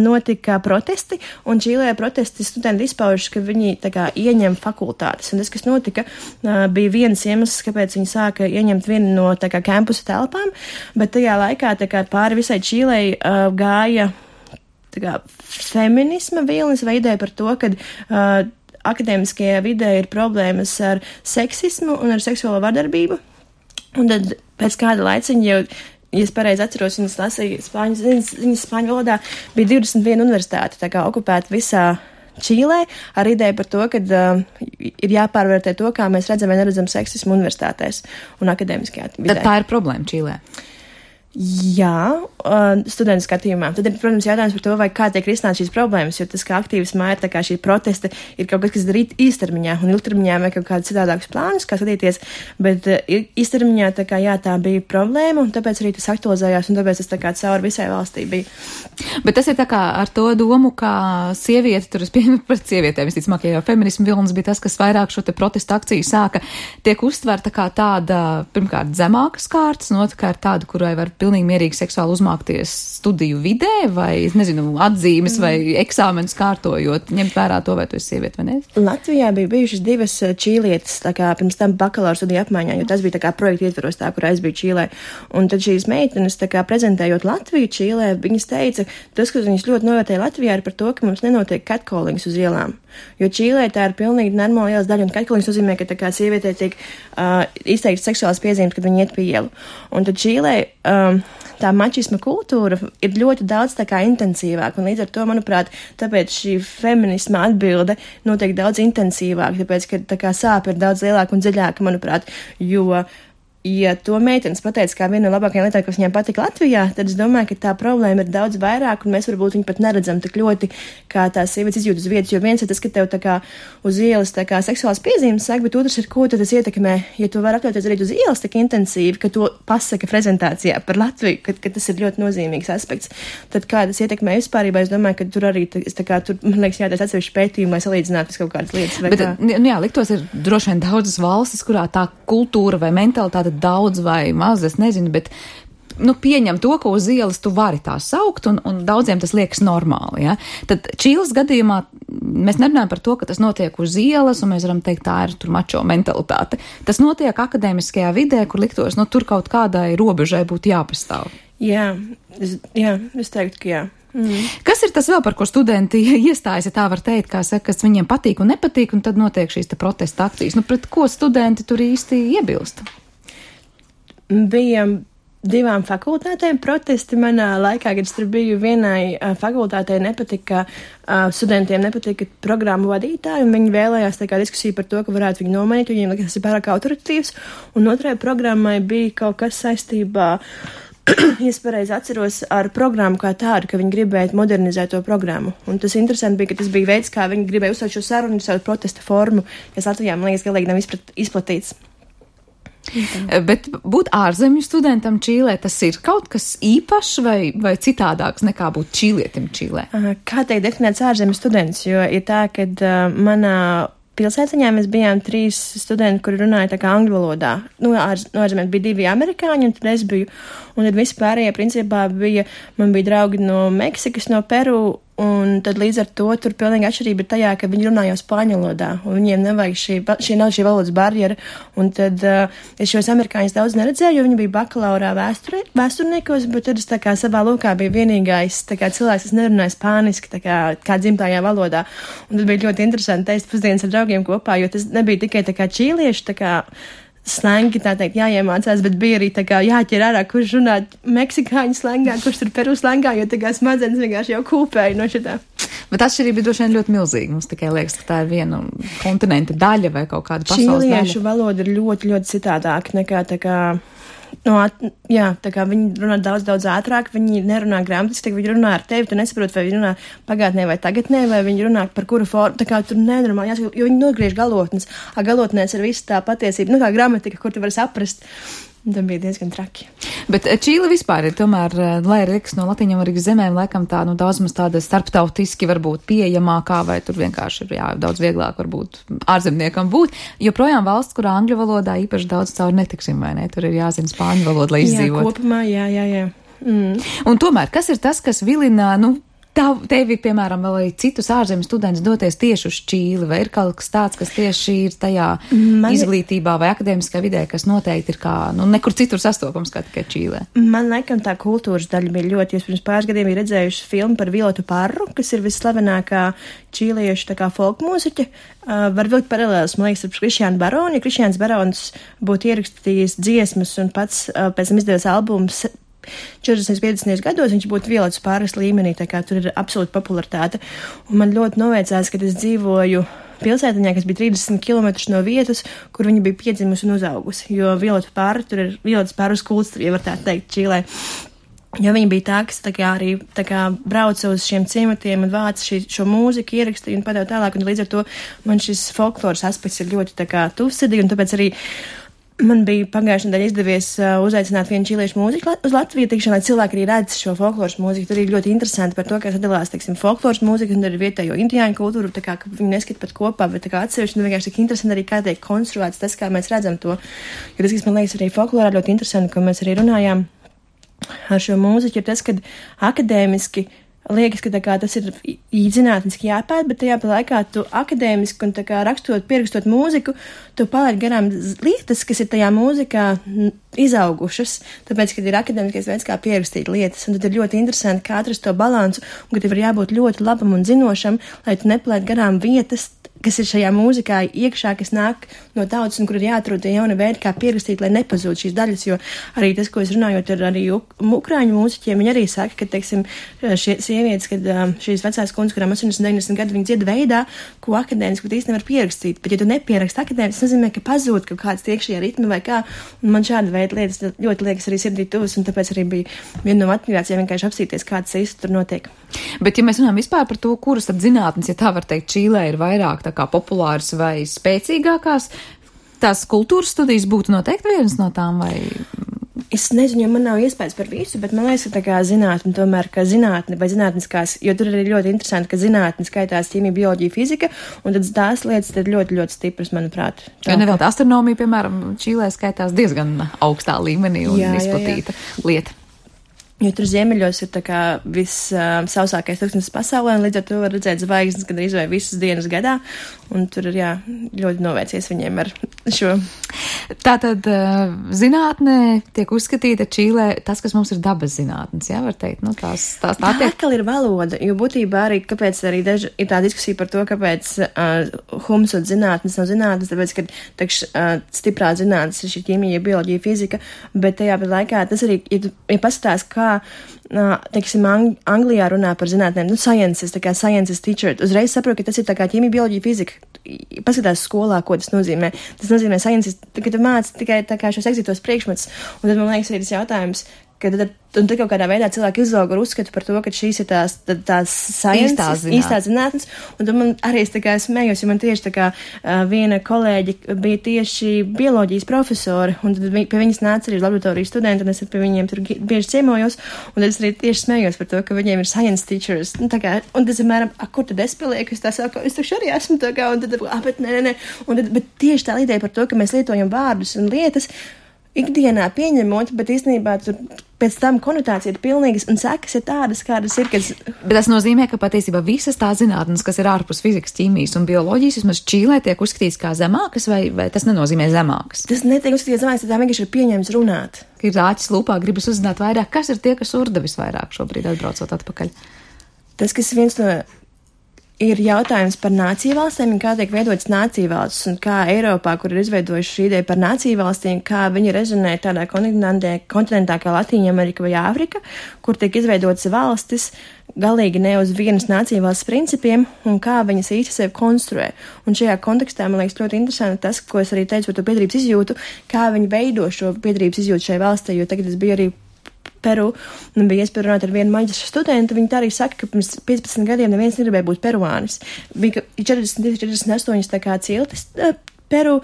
notika protesti, un Čīlē protesti studenti izpaužas, ka viņi tā kā ieņem fakultātes. Un tas, kas notika, bija viens iemesls, kāpēc viņi sāka ieņemt vienu no tā kā kampusa telpām, bet tajā laikā tā kā pāri visai Čīlē gāja tā kā feminisma vilnis vai ideja par to, ka uh, akadēmiskajā vidē ir problēmas ar seksismu un ar seksuālo vardarbību. Un tad pēc kāda laiciņa jau, ja es pareizi atceros, viņas lasīja spāņu ziņas, ziņas spāņu valodā, bija divdesmit viena universitāte, tā kā okupēta visā Čīlē, ar ideju par to, ka uh, ir jāpārvērtē to, kā mēs redzam vai neredzam seksismu universitātēs un akadēmiskajā vidē. Tad tā ir problēma Čīlē. Jā, uh, studentu skatījumā. Tad ir, protams, jautājums par to, vai kā tiek risināt šīs problēmas, jo tas, kā aktīvismā ir tā kā šī protesta, ir kaut kas, kas darīt īstermiņā, un ilgtermiņā vai kaut kāds citādākus plānus, kā skatīties, bet uh, īstermiņā tā kā jā, tā bija problēma, un tāpēc arī tas aktualizējās, un tāpēc tas tā kā cauri visai valstī bija. Bet tas ir tā kā ar to domu, ka sieviete, tur es pieņemu par sievietēm, visticamāk, ja jau feminismu vilnis bija tas, kas vairāk šo te protestu akciju sāka, tiek uztverta kā tāda, pirmkārt, zemākas kārtas, un otrkārt tāda, kurai var pilnīgi mierīgi seksuāli uzmākties studiju vidē, vai, nezinu, atzīmes vai eksāmenus kārtojot, ņemt vērā to, vai tu esi sieviete vai ne? Latvijā bija bijušas divas čīlietes, tā kā pirms tam bakalaura studiju apmaiņā, jo tas bija tā kā projekta ietvaros tā, kur es biju Čīlē. Un tad šīs meitenes, tā kā prezentējot Latviju Čīlē, viņas teica, tas, kas viņas ļoti novērtēja Latvijā, ir par to, ka mums nenotiek catcallings uz ielām. Jo Čīlē tā ir pilnīgi normāla ielas daļa, un catcallings nozīmē, ka tā kā sievietē tiek uh, izteikts seksuāls piezīmes, kad viņi iet pie ielu. Un tad Čīlē um, tā mačisma kultūra ir ļoti daudz tā kā intensīvāk, un līdz ar to, manuprāt, tāpēc šī feminisma atbilde notiek daudz intensīvāk, tāpēc, ka tā kā sāpe ir daudz lielāka un dziļāka, manuprāt, jo ja to meitenes pateica kā viena no labākajām lietām, kas viņām patika Latvijā, tad es domāju, ka tā problēma ir daudz vairāk, un mēs varbūt viņu pat neredzam tik ļoti, kā tās sievietes izjūt uz vietas, jo viens ir tas, ka tev tā kā uz ielas tā kā seksuāls piezīmes sāk, bet otrs ir, ko tad tas ietekmē, ja tu vari atļauties arī uz ielas tik intensīvi, ka to pasaka prezentācijā par Latviju, ka, ka tas ir ļoti nozīmīgs aspekts. Tad kā tas ietekmē vispārībā, es domāju, ka tur arī, tā kā tur, man liekas, jātais atsevišķi pētījumi, lai salīdzinātu kaut kādas lietas. Bet, nu jā, liktos ir droši vien daudzas valstis, kurā tā kultūra vai mentalitāte daudz vai maz, es nezinu, bet nu, pieņem to, ka uz ielas tu vari tā saukt, un, un daudziem tas liekas normāli. Ja? Tad Čīles gadījumā mēs nerunājam par to, ka tas notiek uz ielas, un mēs varam teikt, tā ir tur mačo mentalitāte. Tas notiek akadēmiskajā vidē, kur liktos, nu, tur kaut kādai robežai būtu jāpastāv. Jā, es, jā, es teiktu, ka jā. Mm. Kas ir tas vēl, par ko studenti iestājas, ja tā var teikt, kā saka, kas viņiem patīk un nepatīk, un tad notiek šīs te protesta akcijas? Nu, pret ko studenti tur īsti iebilst? Bija divām fakultātēm protesti manā laikā, kad es tur biju. Vienai uh, fakultātei nepatika, uh, studentiem nepatika programmu vadītāji, un viņi vēlējās tā kā diskusiju par to, ka varētu viņu nomainīt, viņiem liekas, tas ir pārāk autoritīvs, un otrai programmai bija kaut kas saistībā, ja es pareizi atceros, ar programmu kā tādu, ka viņi gribēja modernizēt to programmu. Un tas interesanti bija, ka tas bija veids, kā viņi gribēja uzsākt šo sarunu, savu protesta formu, kas Latvijā, man liekas, galīgi nav izprat, izplatīts. Okay. Bet būt ārzemju studentam Čīlē, tas ir kaut kas īpašs vai, vai citādāks nekā būt čīlietim Čīlē? Kā teikt definēts ārzemju students, jo ir tā, ka uh, manā pilsētiņā mēs bijām trīs studenti, kuri runāja tā kā angļu valodā. Nu, ārz, no ārzemēs bija divi amerikāņi, un tad es biju, un tad visi pārējie principā bija, man bija draugi no Meksikas, no Peru, un tad līdz ar to tur pilnīgi atšķirība ir tajā, ka viņi runā jau spāņu valodā, un viņiem nevajag šī, šī nav šī valodas barjera, un tad uh, es šos amerikāņus daudz neredzēju, jo viņi bija bakalaurā vēsturē, vēsturniekos, bet tad es tā kā savā lokā biju vienīgais, tā kā cilvēks, kas nerunāja spāniski, tā kā, kā dzimtajā valodā, un tad bija ļoti interesanti teikt pusdienas ar draugiem kopā, jo tas nebija tikai tā kā čīlieši, tā kā slengi, tā teikt, jāiemācās, bet bija arī tā kā jāķer ārā, kurš runā meksikāņu slengā, kurš tur Peru slengā, jo tā kā smadzenes vienkārši jau kūpēja no šitā. Bet atšķirība ir droši vien ļoti milzīga. Mums tikai liekas, ka tā ir viena kontinenta daļa vai kaut kāda pasaules daļa. Čīliešu valoda ir ļoti, ļoti citādāka nekā tā kā, no, jā, tā kā viņi runā daudz, daudz ātrāk, viņi nerunā gramatiski, viņi runā ar tevi, tu nesaproti, vai viņi runā pagātnē vai tagadnē, vai viņi runā par kuru formu, tā kā tur nenormāli jāsaka, jo viņi nogriež galotnes, a galotnēs ir viss tā patiesība, nu kā gramatika, kur tu vari saprast. Tā bija diezgan traki. Bet Čīle vispār ir tomēr, lai arī liekas no Latīņamerikas zemēm, laikam tā, nu, daudz mums tāda starptautiski varbūt pieejamākā, vai tur vienkārši ir, jā, daudz vieglāk varbūt ārzemniekam būt, jo projām valsts, kurā angļu valodā īpaši daudz cauri netiksim, vai ne? Tur ir jāzina spāņu valoda, lai izdzīvot. Jā, kopumā, jā, jā, jā. Mm. Un tomēr, kas ir tas, kas vilina, nu, Tav, tevi, piemēram, vēl arī citus ārzemju studentus doties tieši uz Čīli, vai ir kaut kas tāds, kas tieši ir tajā Man... izglītībā vai akadēmiskā vidē, kas noteikti ir kā, nu, nekur citur sastopams kā tikai Čīlē? Man laikam tā kultūras daļa bija ļoti, jūs pirms pāris gadiem ir redzējuši filmu par Violetu Parru, kas ir visslavenākā čīliešu tā kā folk mūziķa. Uh, var vilkt paralēlis, man liekas, ar Krišjānu Baroni. Ja Krišjāns Barons būtu ierakstījis dziesmas un pats uh, pēc tam izdevies albums četrdesmit piecdesmit gados, viņš būtu Violetas Parras līmenī, tā kā tur ir absolūta popularitāte. Un man ļoti noveicās, kad es dzīvoju pilsētiņā, kas bija trīsdesmit kilometrus no vietas, kur viņa bija piedzimusi un uzaugusi, jo Violeta Parra, tur ir Violetas Parras kults, ja var tā teikt, Čīlē. Jo viņa bija tā, kas tā kā arī tā kā brauca uz šiem ciematiem un vāca šī, šo mūziku, ierakstīja un padeva tālāk, un līdz ar to man šis folkloras aspekts ir ļoti tā kā tuvsirdīgi, un tāpēc arī man bija pagājušajā nedēļā izdevies uh, uzaicināt vienu čīliešu mūziku uz Latviju, tikšana, lai cilvēki arī redz šo folkloras mūziku. Tur ir ļoti interesanti par to, kā sadalās, teiksim, folkloras mūzika un arī vietējo indiāņu kultūru, tā kā, ka viņi neskat pat kopā, bet tā kā atsevišķi, un vienkārši tik interesanti arī, kā tiek konstruēts tas, kā mēs redzam to. Jo tas, kas man liekas arī folklorā ļoti interesanti, ko mēs arī runājām ar šo mūziku, ir tas, ka akadēmiski liekas, ka tā kā tas ir zinātniski jāpēt, bet tajā pa laikā tu akadēmiski un tā kā rakstot, pierakstot mūziku, tu palaid garām lietas, kas ir tajā mūzikā izaugušas, tāpēc, kad ir akadēmiskais veids, kā pierakstīt lietas, un tad ir ļoti interesanti, kā atrast to balansu, un ka tev ir jābūt ļoti labam un zinošam, lai tu nepalaid garām vietas, kas ir šajā mūzikā iekšā, kas nāk no tautas un kur ir jāatrod tie jauni veidi, kā pierakstīt, lai nepazūd šīs daļas, jo arī tas, ko es runājot ar arī ukrāņu mūziķiem, viņi arī saka, ka, teiksim, šie sievietes, kad šīs vecās kundzes, kurām astoņdesmit deviņdesmit gadi, viņi dzied veidā, ko akadēmiski īsti nevar pierakstīt, bet ja tu nepieraksti akadēmiski, tas nozīmē, ka pazūd kaut kāds iekšējā ritmi vai kā, un man šāda veida lietas ļoti liekas arī sirdī tuvas, un tāpēc arī bija viena no motivācijām vienkārši apsīties, kā tas īsti tur notiek. Bet, ja mēs runājam vispār par to, kuras tad zinātnes, ja tā var teikt, Čīlē ir vairāk tā kā populāras vai spēcīgākās, tās kultūras studijas būtu noteikti vienas no tām vai? Es nezinu, jo man nav iespējas par visu, bet man liekas, ka tā kā zinātne tomēr, ka zinātne vai zinātniskās, jo tur ir ļoti interesanti, ka zinātne skaitās ķīmija, bioloģija, fizika, un tad tās lietas ir ļoti, ļoti stipras, manuprāt. Tā, jo nevēl astronomija, piemēram, Čīlē skaitās diezgan augstā līmenī un jā, izplatīta jā, jā. lieta. Jo tur ziemeļos ir tā kā viss uh, sausākais tūkstnesis pasaulē, un līdz ar to var redzēt zvaigznes gandrīz vai visas dienas gadā, un tur ir, jā, ļoti novērcies viņiem ar šo. Tātad uh, zinātnē tiek uzskatīta Čīlē tas, kas mums ir dabas zinātnes, jā, var teikt, nu tās, tās tā tiek. Tā atkal ir valoda, jo būtībā arī, kāpēc arī daži, ir tā diskusija par to, kāpēc uh, humsot zinātnes nav zinātnes, tāpēc, ka takš uh, stiprā zinātnes ir šī ķīmija, bioloģija, fizika, bet tajā pat laikā tas arī, ja, tu, ja paskatās, kā teiksim, Ang- Anglijā runā par zinātnēm, nu, sciences, tā kā sciences teacher, uzreiz saprot, ka tas ir tā kā ķīmija, bioloģija, fizika. Paskatās skolā, ko tas nozīmē. Tas nozīmē sciences, ka tu māc tikai tā kā šos exitos priekšmets, un tad man liekas arī tas jautājums, ka tad, un tad kaut kādā veidā cilvēki izauga ar uzskatu par to, ka šīs ir tās, tās sciences, īstās zinātnes. īstās zinātnes, un tad man arī es tā kā smējos, jo man tieši tā kā uh, viena kolēģi bija tieši bioloģijas profesori, un tad vi, pie viņas nāca arī laboratorijas studenti, un es pie viņiem tur bieži ciemojos, un tad es arī tieši smējos par to, ka viņiem ir science teachers, nu tā kā, un tas, apmēram, a, kur tad es palieku, es tā saku, es taču arī esmu tā kā, un tad, a, bet nē, nē, nē, un tad, bet tieši tā ideja par to, ka mēs lietojam vārdus un lietas, ikdienā pieņemot, bet īstenībā tur pēc tam konotācija ir pilnīgas un sekas ir tādas, kādas ir, kas... Bet tas nozīmē, ka patiesībā visas tās zinātnes, kas ir ārpus fizikas, ķīmijas un bioloģijas, vismaz Čīlē tiek uzskatīts kā zemākas, vai, vai tas nenozīmē zemākas? Tas netiek uzskatīts zemākas, tā vienkārši ir pieņemts runāt. Ir āķis lūpā, gribas uzzināt vairāk, kas ir tie, kas urda visvairāk šobrīd atbraucot atpakaļ? Tas, kas viens no... ir jautājums par nāciju valstīm un kā tiek veidotas nāciju valsts un kā Eiropā, kur ir izveidojuši šī ideja par nāciju valstīm, kā viņi rezonē tādā kontinentē, kontinentā kā Latīņa Amerika vai Āfrika, kur tiek izveidotas valstis galīgi ne uz vienas nāciju valsts principiem un kā viņas īsti sevi konstruē. Un šajā kontekstā man liekas ļoti interesanti tas, ko es arī teicu par to piederības izjūtu, kā viņi veido šo piederības izjūtu šai valstī, jo tagad es biju arī Peru, un bija iespēja runāt ar vienu maģistra studentu, viņi tā arī saka, ka pirms piecpadsmit gadiem neviens negribēja būt peruānis. Bija četrdesmit, četrdesmit astoņi tā kā ciltis Peru,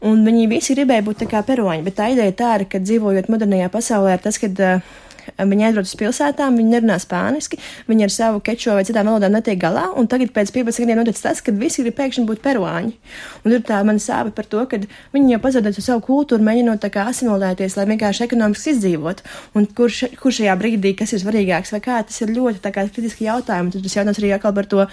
un viņi visi gribēja būt tā kā peruāņi, bet tā ideja tā ir, ka dzīvojot modernajā pasaulē ir tas, kad uh, viņi aizbrauc uz pilsētām, viņi nerunā spāniski, viņi ar savu kečo vai citām valodām netiek galā, un tagad pēc piecpadsmit gadiem notic tas, kad visi grib pēkšņi būt peruāņi. Un tur tā man sāpe par to, ka viņi jau pazaudēs savu kultūru, mēģinot tā kā asimilēties, lai vienkārši ekonomiski izdzīvotu. Un kur, š, kur šajā brīdī, kas ir svarīgāks vai kā, tas ir ļoti tā kā kritiski jautājumi. Tad tas jautājums arī atkal par to,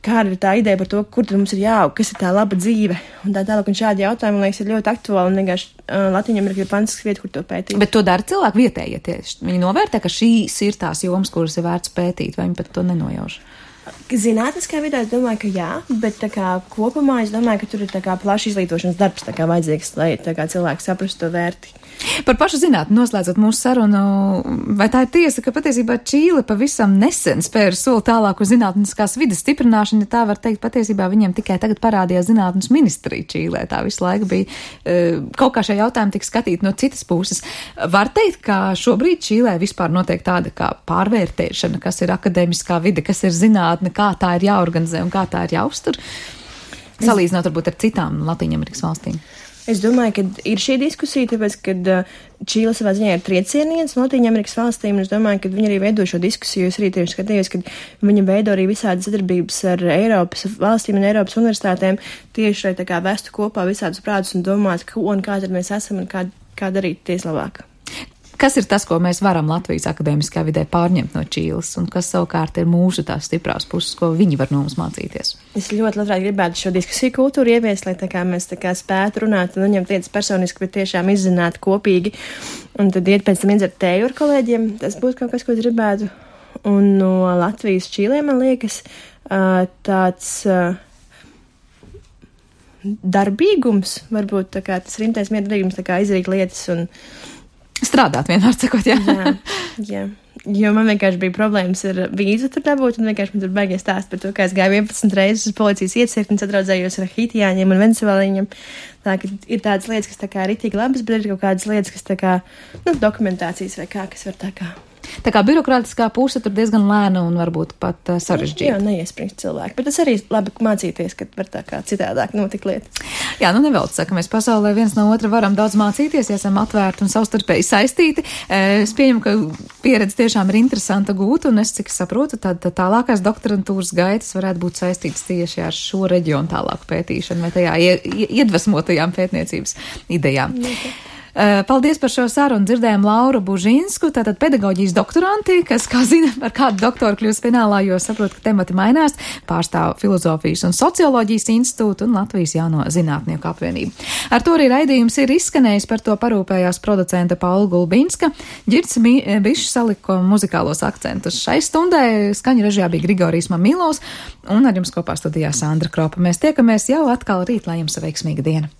kāda ir tā ideja par to, kur tad mums ir jāaug, kas ir tā laba dzīve. Un tā tālāk, un šādi jautājumi, man liekas, ir ļoti aktuāli, un vienkārši uh, Latvijā ir fantastiska vieta, kur to pētīt. Bet to dara cilvēki vietējie tieši. Viņi novērtē, ka šīs ir tās jomas, kuras ir vērts pētīt, vai viņi pat to nenojauš? Zinātniskā vidē es domāju, ka jā, bet tā kā kopumā es domāju, ka tur ir tā kā plašs izglītošanas darbs tā kā vajadzīgs, lai tā kā cilvēki saprastu to vērti. Par pašu zinātni noslēdzot mūsu sarunu, vai tā ir tiesa, ka patiesībā Čīle pavisam nesen spēra soli tālāk uz zinātniskās vides stiprināšanu, ja tā var teikt, patiesībā viņiem tikai tagad parādījās zinātnes ministrija Čīlē, tā visu laiku bija uh, kaut kā šie jautājumi tika skatīti no citas puses. Var teikt, ka šobrīd Čīlē vispār notiek tāda kā pārvērtēšana, kas ir akadēmiskā vide, kas ir zinātne, kā tā ir jāorganizē un kā tā ir jāuztur, salīdzinot varbūt ar citām Latīņamerikas valstīm. Es domāju, ka ir šī diskusija, tāpēc, ka Čīle savā ziņā ir triecieniens Latīņamerikas valstīm, un es domāju, ka viņi arī veido šo diskusiju. Es arī tieši skatījos, ka viņi veido arī visādas sadarbības ar Eiropas valstīm un Eiropas universitātēm, tieši lai tā kā vestu kopā visādus prātus un domāt, ko un kā tad mēs esam un kā, kā darīt tieslabāk. Kas ir tas, ko mēs varam Latvijas akadēmiskā vidē pārņemt no Čīles, un kas savukārt ir mūsu tās stiprās puses, ko viņi var no mums mācīties? Es ļoti labprāt gribētu šo diskusiju kultūru ieviest, lai tā kā mēs tā kā spētu runāt un neņemt lietas personiski, bet tiešām izzināt kopīgi, un tad iet pēc tam iedzert tēju ar kolēģiem. Tas būtu kaut kas, ko es gribētu. Un no Latvijas Čīlē, man liekas, tāds darbīgums, varbūt tā kā tas rimtais miedarbīgums, tā kā izdarīt lietas un strādāt vienmēr sakot, jā. jā, jā. Jo man vienkārši bija problēmas ar vīzu tur dabūt, un vienkārši man tur baigies stāst par to, kā es gāju vienpadsmit reizes uz policijas iecirkni, sadraudzējos ar hitiāņiem un venezuelīņiem. Tā, ka ir tādas lietas, kas tā kā ritīgi labas, bet ir kaut kādas lietas, kas tā kā, nu, dokumentācijas vai kā, kas var tā kā. Tā kā birokrātiskā puse tur diezgan lēna un varbūt pat uh, sarežģīta. Jā, neiespringst cilvēki, bet tas arī labi mācīties, kad var tā kā citādāk notikt lietas. Jā, nu nevelc saka, mēs pasaulē viens no otra varam daudz mācīties, ja esam atvērti un savstarpēji saistīti. Es pieņemu, ka pieredze tiešām ir interesanta gūt, un es, cik saprotu, tad tālākais doktorantūras gaitas varētu būt saistītas tieši ar šo reģionu tālāku pētīšanu vai tajā iedvesmotajām pētniecības idejām. Okay. Paldies par šo sarunu. Dzirdējām Lauru Bužinsku, tātad pedagoģijas doktoranti, kas, kā zina, ar kādu doktoru kļūst finālā, jo saprot, ka temati mainās, pārstāv Filozofijas un socioloģijas institūtu un Latvijas jauno zinātnieku apvienību. Ar to arī raidījums ir izskanējis, par to parūpējās producenta Paula Gulbinska. Ģirds Bišs saliko muzikālos akcentus. Šai stundai skaņu režijā bija Grigorijs Mamilovs un ar jums kopā studijā Sandra Kropa. Mēs tiekamies jau atkal rīt, lai jums veiksmīga diena.